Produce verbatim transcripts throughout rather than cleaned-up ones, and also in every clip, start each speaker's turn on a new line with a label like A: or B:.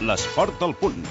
A: L'esport al punt.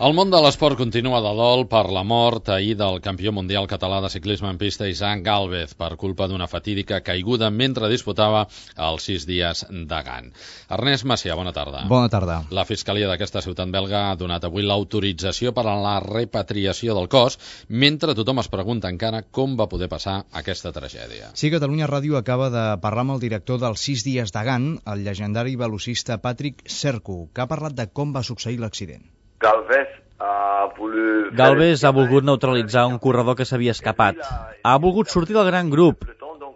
B: El món de l'esport continua de dol per la mort ahir del campió mundial català de ciclisme en pista Isaac Gálvez per culpa d'una fatídica caiguda mentre disputava els sis dies de Gant. Ernest Macià, bona tarda.
C: Bona tarda.
B: La Fiscalia d'aquesta ciutat belga ha donat avui l'autorització per a la repatriació del cos, mentre tothom es pregunta encara com va poder passar aquesta tragèdia.
C: Sí, Catalunya Ràdio acaba de parlar amb el director dels sis dies de Gant, el llegendari velocista Patrick Sercu, que ha parlat de com va succeir l'accident.
D: Galvez ha volut...
E: Galvez ha volgut neutralitzar un corredor que s'havia escapat. Ha volgut sortir del gran grup,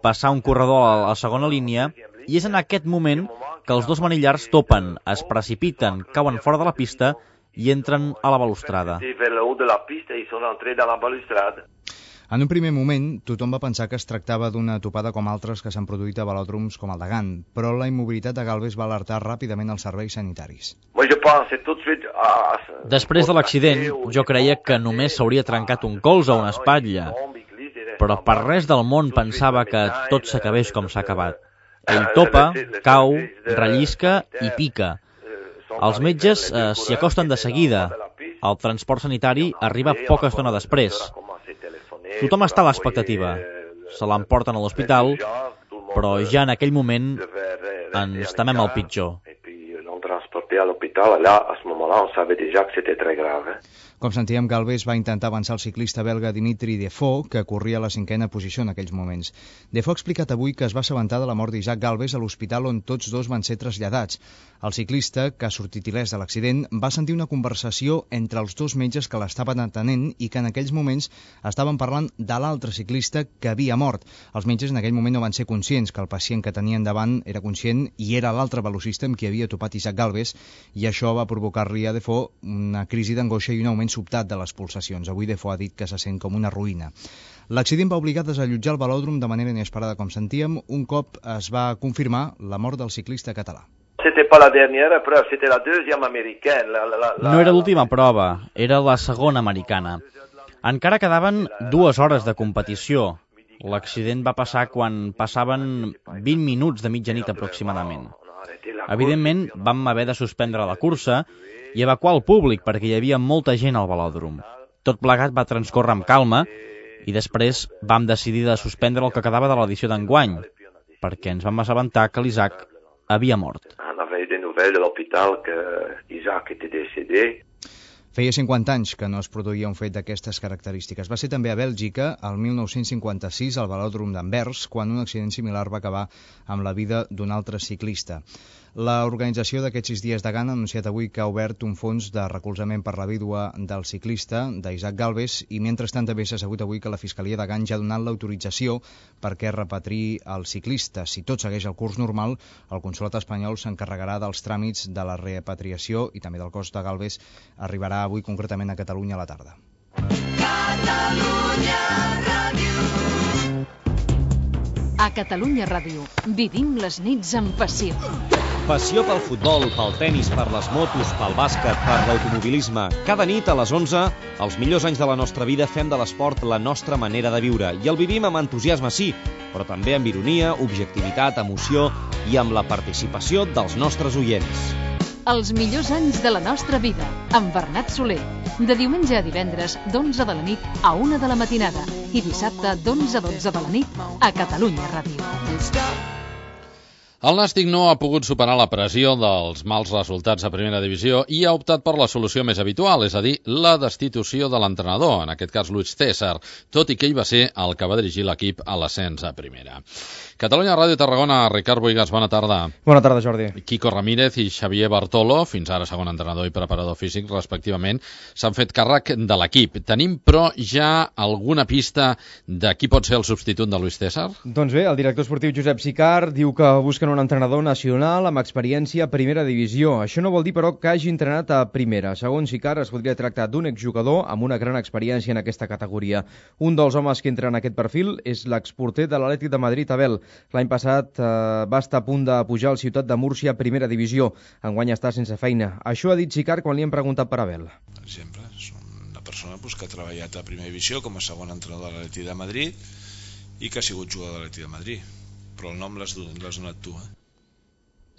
E: passar un corredor a la segona línia, i és en aquest moment que els dos manillars topen, es precipiten, cauen fora de la pista i entren a la balustrada.
C: En un primer moment, tothom va pensar que es tractava d'una topada com altres que s'han produït a velòdroms com el de Gant, però la immobilitat de Galvez va alertar ràpidament els serveis sanitaris.
E: Després de l'accident, jo creia que només s'hauria trencat un colze o una espatlla, però per res del món pensava que tot s'acabés com s'ha acabat. Ell topa, cau, rellisca i pica. Els metges eh, s'hi acosten de seguida. El transport sanitari arriba poca estona després. Tothom està a l'expectativa. Se l'emporten a l'hospital, però ja en aquell moment ens temem el pitjor.
C: Com sentíem, Galvez va intentar avançar el ciclista belga Dimitri Defoe, que corria a la cinquena posició en aquells moments. Defoe ha explicat avui que es va assabentar de la mort d'Isaac Galvez a l'hospital on tots dos van ser traslladats. El ciclista, que ha sortit il·lès de l'accident, va sentir una conversació entre els dos metges que l'estaven atenent i que en aquells moments estaven parlant de l'altre ciclista que havia mort. Els metges en aquell moment no van ser conscients que el pacient que tenien davant era conscient i era l'altre velocista amb qui havia topat Isaac Galvez, i això va provocar-li a Defoe una crisi d'angoixa i un augment sobtat de les pulsacions. Avui Defoe ha dit que se sent com una ruïna. L'accident va obligar a desallotjar el velòdrom de manera inesperada, com sentíem, un cop es va confirmar la mort del ciclista català.
E: No era l'última prova, era la segona americana. Encara quedaven dues hores de competició. L'accident va passar quan passaven vint minuts de mitjanit aproximadament. Evidentment, vam haver de suspendre la cursa i evacuar el públic perquè hi havia molta gent al velòdrom. Tot plegat va transcórrer amb calma i després vam decidir de suspendre el que quedava de l'edició d'enguany perquè ens vam assabentar que l'Isaac havia mort.
C: Feia cinquanta anys que no es produïa un fet d'aquestes característiques. Va ser també a Bèlgica, el mil nou-cents cinquanta-sis, al velòdrom d'Anvers, quan un accident similar va acabar amb la vida d'un altre ciclista. L'organització d'aquests sis dies de Gant ha anunciat avui que ha obert un fons de recolzament per la vídua del ciclista, d'Isaac Galvez, i mentrestant també s'ha sabut avui que la Fiscalia de Gant ja ha donat l'autorització perquè repatriï el ciclista. Si tot segueix el curs normal, el Consolat espanyol s'encarregarà dels tràmits de la repatriació i també del cos de Galvez. Arribarà avui concretament a Catalunya a la tarda.
F: Catalunya Ràdio. A Catalunya Ràdio vivim les nits amb passió.
G: Passió pel futbol, pel tenis, per les motos, pel bàsquet, per l'automobilisme. Cada nit a les onze, els millors anys de la nostra vida fem de l'esport la nostra manera de viure. I el vivim amb entusiasme, sí, però també amb ironia, objectivitat, emoció i amb la participació dels nostres oients.
F: Els millors anys de la nostra vida, amb Bernat Soler. De diumenge a divendres, d'onze de la nit a una de la matinada. I dissabte, d'onze a dotze de la nit, a Catalunya Ràdio.
B: El Nàstic no ha pogut superar la pressió dels mals resultats a primera divisió i ha optat per la solució més habitual, és a dir, la destitució de l'entrenador, en aquest cas Luis César, tot i que ell va ser el que va dirigir l'equip a l'ascens a primera. Catalunya Ràdio Tarragona, Ricard Boigas, bona tarda.
H: Bona tarda, Jordi.
B: Quico Ramírez i Xavier Bartolo, fins ara segon entrenador i preparador físic, respectivament, s'han fet càrrec de l'equip. Tenim, però, ja alguna pista de qui pot ser el substitut de Luis César?
H: Doncs bé, el director esportiu Josep Sicart diu que busquen
A: un entrenador nacional amb experiència a primera divisió. Això no vol dir, però, que hagi entrenat a primera. Segons Icart, es podria tractar d'un exjugador amb una gran experiència en aquesta categoria. Un dels homes que entra en aquest perfil és l'exporter de l'Atlètic de Madrid, Abel. L'any passat eh, va estar a punt de pujar al Ciutat de Múrcia a primera divisió. Enguany està sense feina. Això ha dit Icart quan li hem preguntat per Abel.
H: Per exemple, és una persona pues, que ha treballat a primera divisió com a segon entrenador de l'Atlètic de Madrid i que ha sigut jugador de l'Atlètic de Madrid. Però el nom l'has donat tu, eh?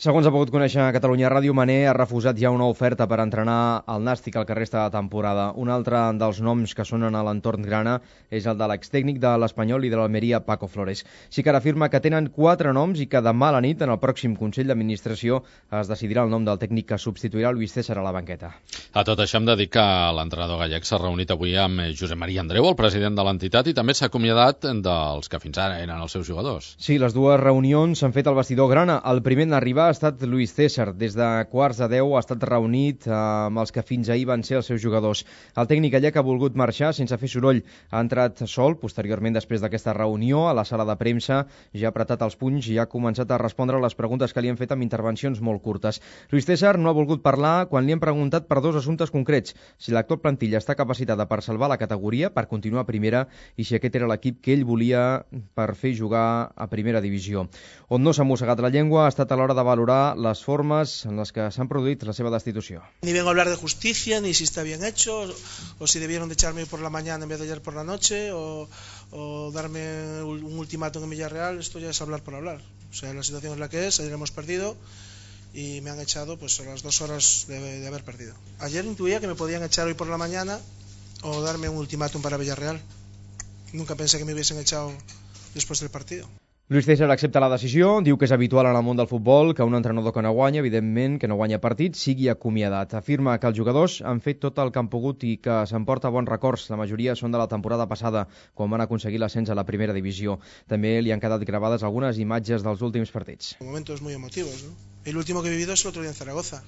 A: Segons ha pogut conèixer a Catalunya Ràdio, Mané ha refusat ja una oferta per entrenar el Nàstic al que resta de temporada. Un altre dels noms que sonen a l'entorn grana és el de l'extècnic de l'Espanyol i de l'Almeria, Paco Flores. Sí que ara afirma que tenen quatre noms i que demà a la nit, en el pròxim Consell d'Administració, es decidirà el nom del tècnic que substituirà Luis César a la banqueta.
B: A tot això hem de dir que l'entrenador gallec s'ha reunit avui amb Josep Maria Andreu, el president de l'entitat, i també s'ha acomiadat dels que fins ara eren els seus jugadors.
A: Sí, les dues reunions s'han fet al vestidor grana. El primer en arribar ha estat Luis César. Des de quarts de deu ha estat reunit amb els que fins ahir van ser els seus jugadors. El tècnic gallec ha volgut marxar sense fer soroll. Ha entrat sol, posteriorment després d'aquesta reunió, a la sala de premsa, ja ha apretat els punys i ha començat a respondre les preguntes que li han fet amb intervencions molt curtes. Luis César no ha volgut parlar quan li han preguntat per dos assumptes concrets: si l'actual plantilla està capacitada per salvar la categoria, per continuar a primera, i si aquest era l'equip que ell volia per fer jugar a primera divisió. On no s'ha mossegat la llengua ha estat a l'hora de valorar les formes en les que s'han produït la seva destitució.
I: Ni vengo a hablar de justicia, ni si está bien hecho, o si debieron de echarme por la mañana en vez de ayer por la noche, o, o darme un ultimátum en Villarreal. Esto ya es hablar por hablar. O sea, la situación es la que es, ayer hemos perdido y me han echado pues a las dos horas de, de haber perdido. Ayer intuía que me podían echar hoy por la mañana o darme un ultimátum para Villarreal. Nunca pensé que me hubiesen echado después del partido.
A: Luis César accepta la decisió, diu que és habitual en el món del futbol que un entrenador que no guanya, evidentment que no guanya partits, sigui acomiadat. Afirma que els jugadors han fet tot el que han pogut i que s'emporta bons records. La majoria són de la temporada passada, quan van aconseguir l'ascens a la primera divisió. També li han quedat gravades algunes imatges dels últims partits.
I: Momentos muy emotivos, ¿no? El último que he vivido es el otro día en Zaragoza,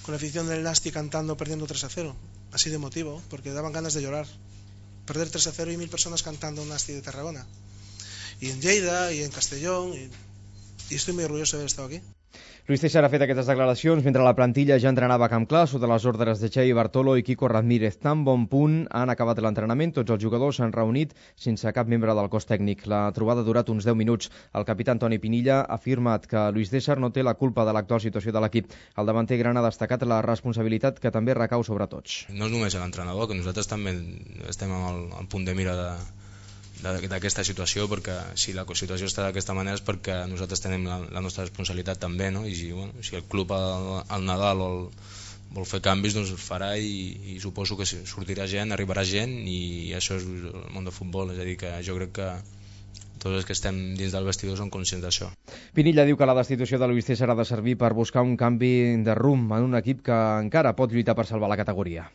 I: con la afición del Nasti cantando perdiendo tres a cero. Así de emotivo, porque daban ganas de llorar. Perder tres a cero y mil personas cantando un Nasti de Tarragona. Y en Lleida, y en Castellón, y, y estoy muy orgulloso de haber estado aquí.
A: Luis César ha fet aquestes declaracions mentre la plantilla ja entrenava a Camp Clar sota les ordres de Xavi Bartolo i Quico Ramírez. Tan bon punt han acabat l'entrenament, tots els jugadors s'han reunit sense cap membre del cos tècnic. La trobada ha durat uns deu minuts. El capità Antoni Pinilla ha afirmat que Luis César no té la culpa de l'actual situació de l'equip. El davanter gran ha destacat la responsabilitat que també recau sobre tots.
J: No és només l'entrenador, que nosaltres també estem al, al punt de mira de d'aquesta situació, perquè si la situació està d'aquesta manera és perquè nosaltres tenim la, la nostra responsabilitat també, no? I si, bueno, si el club al, al Nadal vol, vol fer canvis, doncs el farà i, i suposo que sortirà gent, arribarà gent, i això és el món del futbol. És a dir, que jo crec que tots els que estem dins del vestidor són conscients d'això.
A: Pinilla diu que la destitució de Luis César ha de servir per buscar un canvi de rumb en un equip que encara pot lluitar per salvar la categoria.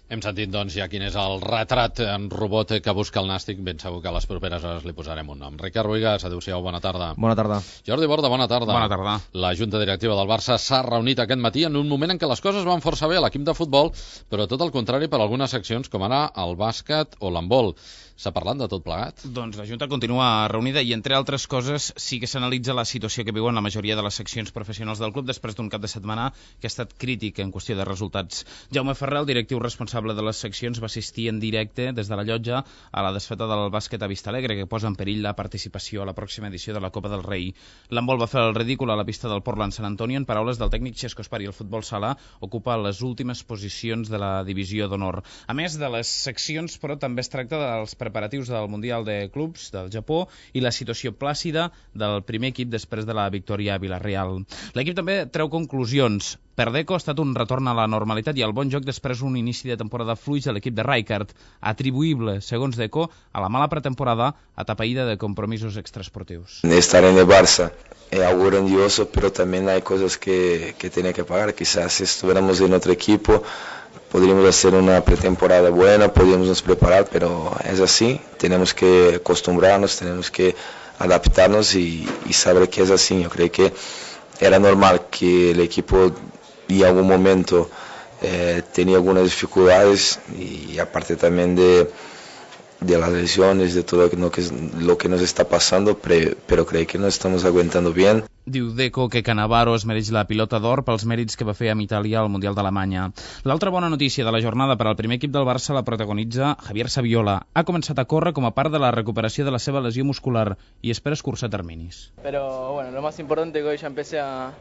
B: Hem sentit, doncs, ja quin és el retrat en robot que busca el Nàstic. Ben segur que a les properes hores li posarem un nom. Ricard Boigas, adéu-siau, bona tarda.
A: Bona tarda.
B: Jordi Borda, bona tarda.
K: Bona tarda.
B: La Junta Directiva del Barça s'ha reunit aquest matí en un moment en què les coses van força bé a l'equip de futbol, però tot el contrari per algunes seccions com ara el bàsquet o l'handbol. S'ha parlat de tot plegat?
K: Doncs la Junta continua reunida i, entre altres coses, sí que s'analitza la situació que viuen la majoria de les seccions professionals del club després d'un cap de setmana que ha estat crític en qüestió de resultats. Jaume Ferrer, el directiu responsable de les seccions, va assistir en directe des de la llotja a la desfeta del bàsquet a Vistalegre, que posa en perill la participació a la pròxima edició de la Copa del Rei. L'handbol va fer el ridícul a la pista del Portland Sant Antonio. En paraules del tècnic Xesco Espari, el futbol sala ocupa les últimes posicions de la divisió d'honor. A més de les seccions, però, també es tracta dels preparatius del Mundial de Clubs del Japó i la situació plàcida del primer equip després de la victòria a Vila-real. L'equip també treu conclusions. Per Deco ha estat un retorn a la normalitat i al bon joc després d'un inici de temporada fluix a l'equip de Rijkaard, atribuïble, segons Deco, a la mala pretemporada atapeïda de compromisos extraesportius.
L: Estar en el Barça es algo grandioso, pero también hay cosas que, que tiene que pagar. Quizás si estuviéramos en otro equipo podríamos hacer una pretemporada buena, podríamos nos preparar, pero es así, tenemos que acostumbrarnos, tenemos que adaptarnos y, y saber que es así. Yo creo que era normal que el equipo en algún momento eh, tenía algunas dificultades y aparte también de, de las lesiones, de todo lo que, lo que nos está pasando, pero, pero creo que nos estamos aguantando bien.
K: Diu Deco que Cannavaro es mereix la pilota d'or pels mèrits que va fer amb Itàlia al Mundial d'Alemanya. L'altra bona notícia de la jornada per al primer equip del Barça la protagonitza Javier Saviola. Ha començat a córrer com a part de la recuperació de la seva lesió muscular i espera escurçar terminis.
M: Pero bueno, lo más importante es que hoy ya empecé a,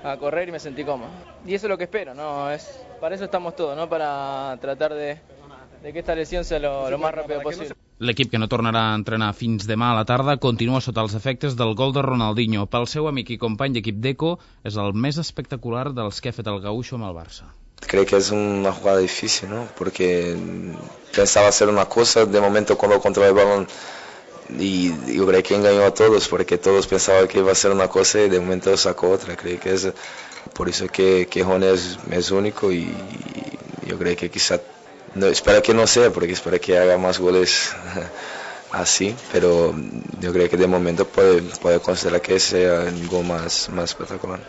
M: a correr y me sentí cómodo. Y eso es lo que espero, ¿no? Es, para eso estamos todos, ¿no? Para tratar de, de que esta lesión sea lo, lo más rápido posible.
K: L'equip, que no tornarà a entrenar fins demà a la tarda, continua sota els efectes del gol de Ronaldinho. Pel seu amic i company d'equip Deco, és el més espectacular dels que ha fet el Gaúcho amb el Barça.
L: Creo que es una jugada difícil, ¿no? Porque pensaba hacer una cosa, de momento cuando controló el balón, y yo creo que engañó a todos, porque todos pensaban que iba a ser una cosa y de momento sacó otra. Creo que es por eso que, que Ron es, es único y, y yo creo que quizá... No, espero que no sea, porque espero que haga más goles así, pero yo creo que de momento puede, puede considerar que sea el gol más, más espectacular.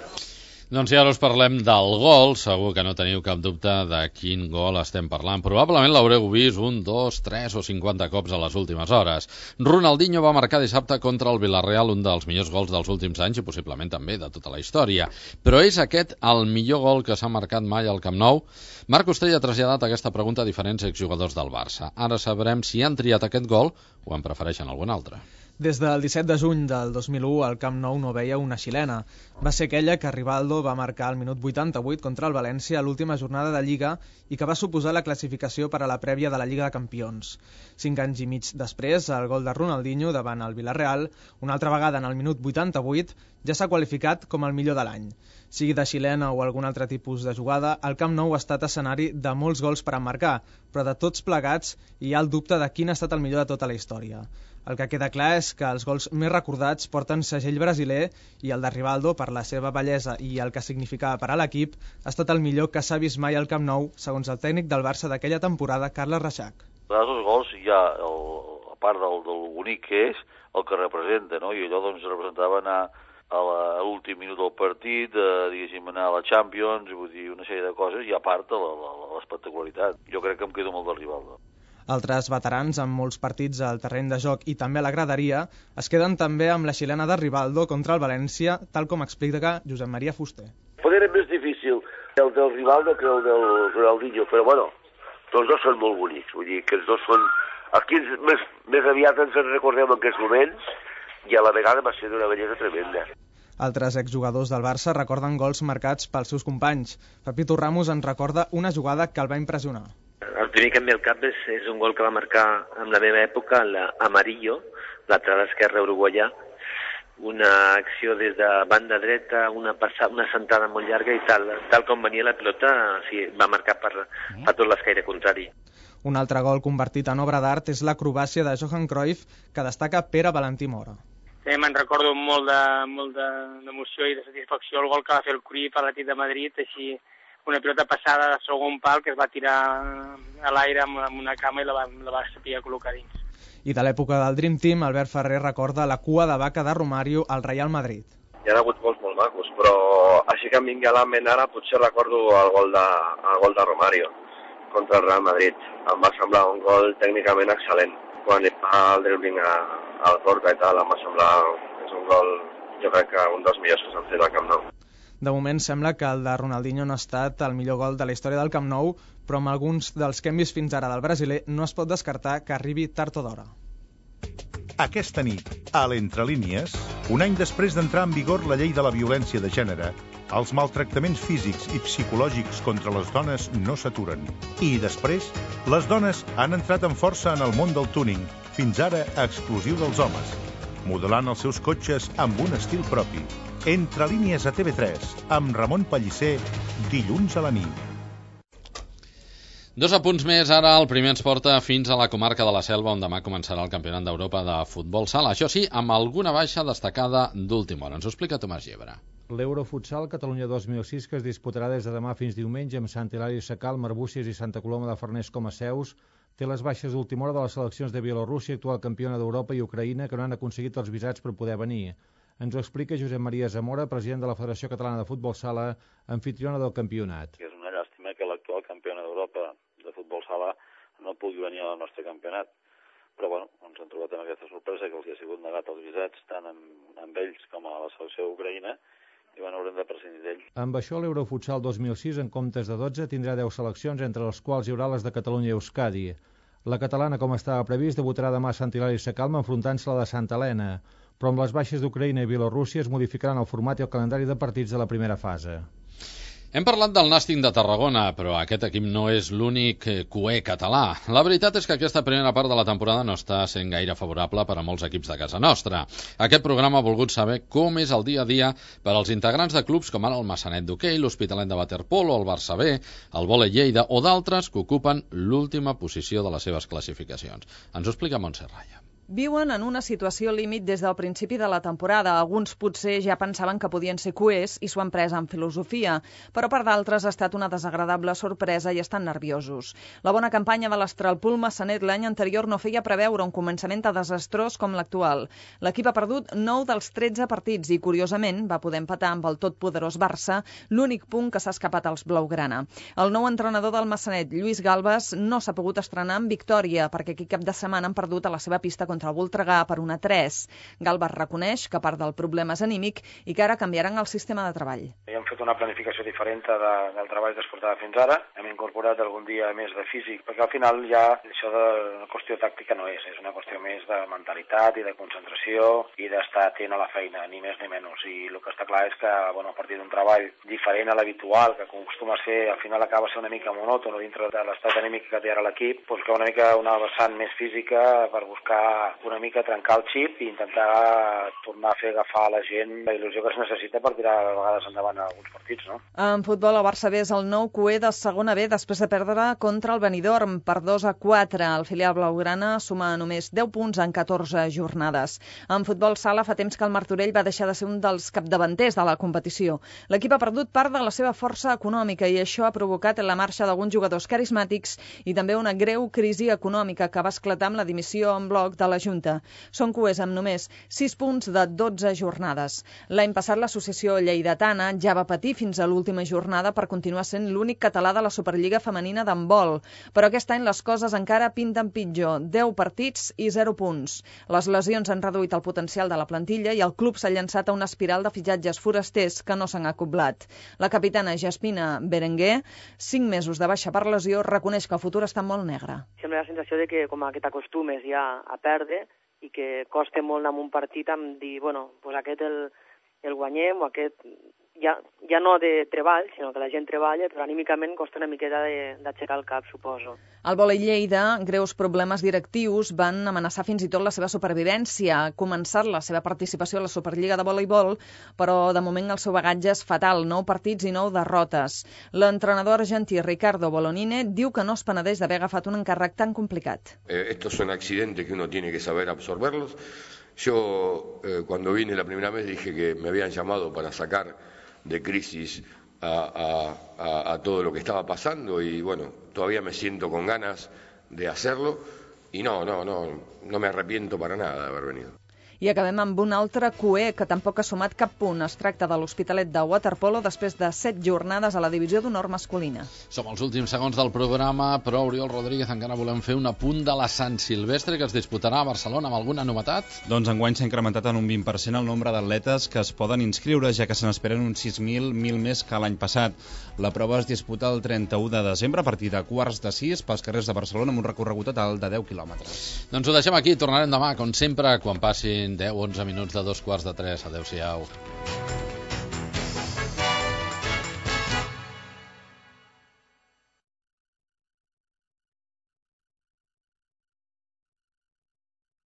B: Doncs ja us parlem del gol, segur que no teniu cap dubte de quin gol estem parlant. Probablement l'haureu vist un, dos, tres o cinquanta cops a les últimes hores. Ronaldinho va marcar dissabte contra el Villarreal un dels millors gols dels últims anys i possiblement també de tota la història. Però és aquest el millor gol que s'ha marcat mai al Camp Nou? Marc Ostell ha traslladat aquesta pregunta a diferents exjugadors del Barça. Ara sabrem si han triat aquest gol o en prefereixen algun altre.
N: Des del disset de juny del dos mil u, el Camp Nou no veia una xilena. Va ser aquella que Rivaldo va marcar al minut vuitanta-vuit contra el València a l'última jornada de Lliga i que va suposar la classificació per a la prèvia de la Lliga de Campions. Cinc anys i mig després, el gol de Ronaldinho davant el Villarreal, una altra vegada en el minut vuitanta-vuit, ja s'ha qualificat com el millor de l'any. Sigui de xilena o algun altre tipus de jugada, el Camp Nou ha estat escenari de molts gols per emmarcar, però de tots plegats hi ha el dubte de quin ha estat el millor de tota la història. El que queda clar és que els gols més recordats porten segell brasiler i el de Rivaldo, per la seva bellesa i el que significava per a l'equip, ha estat el millor que s'ha vist mai al Camp Nou, segons el tècnic del Barça d'aquella temporada, Carles Reixac.
O: Els gols hi ha, el, a part del, del bonic que és, el que representa, no? I allò doncs representava anar a l'últim minut del partit, eh, diguéssim, anar a la Champions, vull dir, una sèrie de coses, i a part l'espectacularitat. Jo crec que em quedo molt de Rivaldo.
N: Altres veterans amb molts partits al terreny de joc i també a la graderia es queden també amb la xilena de Rivaldo contra el València, tal com explica Josep Maria Fuster.
P: Poder és més difícil el del Rivaldo que el del Ronaldinho, però bueno, tots dos són molt bonics, vull dir que els dos són... Aquí més, més aviat ens en recordem en aquests moments i a la vegada va ser d'una bellesa tremenda.
N: Altres exjugadors del Barça recorden gols marcats pels seus companys. Pepito Ramos en recorda una jugada que el va impressionar.
Q: El primer que em ve al cap és, és un gol que va marcar en la meva època, l'Amarillo, lateral esquerre uruguaià, una acció des de banda dreta, una, passada, una sentada molt llarga i tal, tal com venia la pilota, sí, va marcar per, per tot l'escaire contrari.
N: Un altre gol convertit en obra d'art és l'acrobàcia de Johan Cruyff, que destaca Pere Valentí Mora.
R: Eh, me'n recordo molt de, molt d'emoció i de satisfacció el gol que va fer el Cruyff a l'Atlètic de Madrid, així una pilota passada de segon pal que es va tirar a l'aire amb una cama i la va, la va saber col·locar dins.
N: I de l'època del Dream Team, Albert Ferrer recorda la cua de vaca de Romario al Real Madrid.
S: Hi ha hagut gols molt macos, però així que em vingui a la ment ara potser recordo el gol de, el gol de Romario contra el Real Madrid. Em va semblar un gol tècnicament excel·lent. Quan hi fa el dribbling al Porta i tal, em va semblar és un gol, jo crec que un dels millors que s'han fet al Camp Nou.
N: De moment sembla que el de Ronaldinho no ha estat el millor gol de la història del Camp Nou, però amb alguns dels que hem vist fins ara del brasiler no es pot descartar que arribi tard o d'hora.
T: Aquesta nit, a l'Entre Línies, un any després d'entrar en vigor la llei de la violència de gènere, els maltractaments físics i psicològics contra les dones no s'aturen. I després, les dones han entrat amb força en el món del tuning, fins ara exclusiu dels homes, modelant els seus cotxes amb un estil propi. Entre línies a T V tres, amb Ramon Pellicer, dilluns a la nit.
B: Dos apunts més ara. El primer ens porta fins a la comarca de la Selva, on demà començarà el Campionat d'Europa de Futbol Sala. Això sí, amb alguna baixa destacada d'última hora. Ens ho explica Tomàs Llebre.
U: L'Eurofutsal Catalunya dos mil sis, que es disputarà des de demà fins diumenge amb Sant Hilari Sacalm, Arbúcies i Santa Coloma de Farners com a seus, té les baixes d'última hora de les seleccions de Bielorússia, actual campiona d'Europa, i Ucraïna, que no han aconseguit els visats per poder venir. Ens ho explica Josep Maria Zamora, president de la Federació Catalana de Futbol Sala, anfitriona del campionat.
V: És una llàstima que l'actual campiona d'Europa de futbol sala no pugui venir al nostre campionat,
O: però bueno, ens hem trobat amb aquesta sorpresa que els ha sigut negat els visats tant amb, amb ells com a la selecció d'Ucraïna, i bueno, haurem de prescindir d'ells.
U: Amb això, l'Eurofutsal dos mil sis, en comptes de dotze, tindrà deu seleccions, entre les quals hi haurà les de Catalunya i Euskadi. La catalana, com estava previst, debutarà demà a Sant Hilari Sacalm enfrontant-se a la de Santa Helena, però amb les baixes d'Ucraïna i Bielorússia es modificaran el format i el calendari de partits de la primera fase.
B: Hem parlat del Nàstic de Tarragona, però aquest equip no és l'únic cué català. La veritat és que aquesta primera part de la temporada no està sent gaire favorable per a molts equips de casa nostra. Aquest programa ha volgut saber com és el dia a dia per als integrants de clubs com ara el Massanet d'hoquei, l'Hospitalet de waterpolo, el Barça B, el Vòlei Lleida o d'altres que ocupen l'última posició de les seves classificacions. Ens ho explica Montse Raya.
D: Viuen en una situació límit des del principi de la temporada. Alguns potser ja pensaven que podien ser cuers i s'ho han pres amb filosofia, però per d'altres ha estat una desagradable sorpresa i estan nerviosos. La bona campanya de l'Astralpool Massanet l'any anterior no feia preveure un començament tan desastrós com l'actual. L'equip ha perdut nou dels tretze partits i, curiosament, va poder empatar amb el totpoderós Barça, l'únic punt que s'ha escapat als blaugrana. El nou entrenador del Massanet, Lluís Galbas, no s'ha pogut estrenar amb victòria perquè aquest cap de setmana han perdut a la seva pista contra el Voltregà per un a tres. Galbas reconeix que part del problema és anímic i que ara canviaran el sistema de treball.
V: Hem fet una planificació diferent de, del treball que es portava fins ara. Hem incorporat algun dia més de físic, perquè al final ja això de la qüestió tàctica no és, és una qüestió més de mentalitat i de concentració i d'estar atent a la feina, ni més ni menys. I el que està clar és que, bueno, a partir d'un treball diferent a l'habitual, que acostuma a ser, al final acaba a ser una mica monòton dintre de l'estat anímic que té ara l'equip, doncs que una mica una vessant més física per buscar una mica trencar el xip i intentar tornar a fer agafar a la gent la il·lusió que es necessita per tirar a vegades endavant a alguns partits, no?
D: En futbol, el Barça B és el nou cué de segona B després de perdre contra el Benidorm per dos a quatre. El filial blaugrana suma només deu punts en catorze jornades. En futbol sala fa temps que el Martorell va deixar de ser un dels capdavanters de la competició. L'equip ha perdut part de la seva força econòmica i això ha provocat la marxa d'alguns jugadors carismàtics i també una greu crisi econòmica que va esclatar amb la dimissió en bloc de la Junta. Són cuers amb només sis punts de dotze jornades. L'any passat l'associació lleidatana ja va patir fins a l'última jornada per continuar sent l'únic català de la Superliga femenina d'handbol. Però aquest any les coses encara pinten pitjor. deu partits i zero punts. Les lesions han reduït el potencial de la plantilla i el club s'ha llançat a una espiral de fitxatges forasters que no s'han acoblat. La capitana Jaspina Berenguer, cinc mesos de baixa per lesió, reconeix que el futur està molt negre.
W: Sembla la sensació de que com que t'acostumes ja a perdre i que costa molt en un partit amb dir, bueno, pues aquest el, el guanyem o aquest ja, ja no de treball, sinó que la gent treballa, però anímicament costa una miqueta d'aixecar el cap, suposo.
D: Al Vòlei Lleida, greus problemes directius van amenaçar fins i tot la seva supervivència. Ha començat la seva participació a la Superliga de voleibol, però de moment el seu bagatge és fatal, nou partits i nou derrotes. L'entrenador argentí Ricardo Bolonine diu que no es penedeix d'haver agafat un encàrrec tan complicat.
X: Eh, estos son accidentes que uno tiene que saber absorberlos. Yo, eh, cuando vine la primera vez, dije que me habían llamado para sacar de crisis a, a, a, a todo lo que estaba pasando y bueno, todavía me siento con ganas de hacerlo y no, no, no, no me arrepiento para nada de haber venido.
D: I acabem amb un altre cué que tampoc ha sumat cap punt. Es tracta de l'Hospitalet de waterpolo després de set jornades a la divisió d'honor masculina.
B: Som els últims segons del programa, però Oriol Rodríguez encara volem fer un apunt de la Sant Silvestre que es disputarà a Barcelona amb alguna novetat?
Y: Doncs enguany s'ha incrementat en un vint per cent el nombre d'atletes que es poden inscriure, ja que se n'esperen uns sis mil, mil més que l'any passat. La prova es disputa el trenta-u de desembre a partir de quarts de sis pels carrers de Barcelona amb un recorregut total de deu quilòmetres.
B: Doncs ho deixem aquí, tornarem demà, com sempre, quan passin deu onze minuts de dos quarts de tres. Adéu-siau.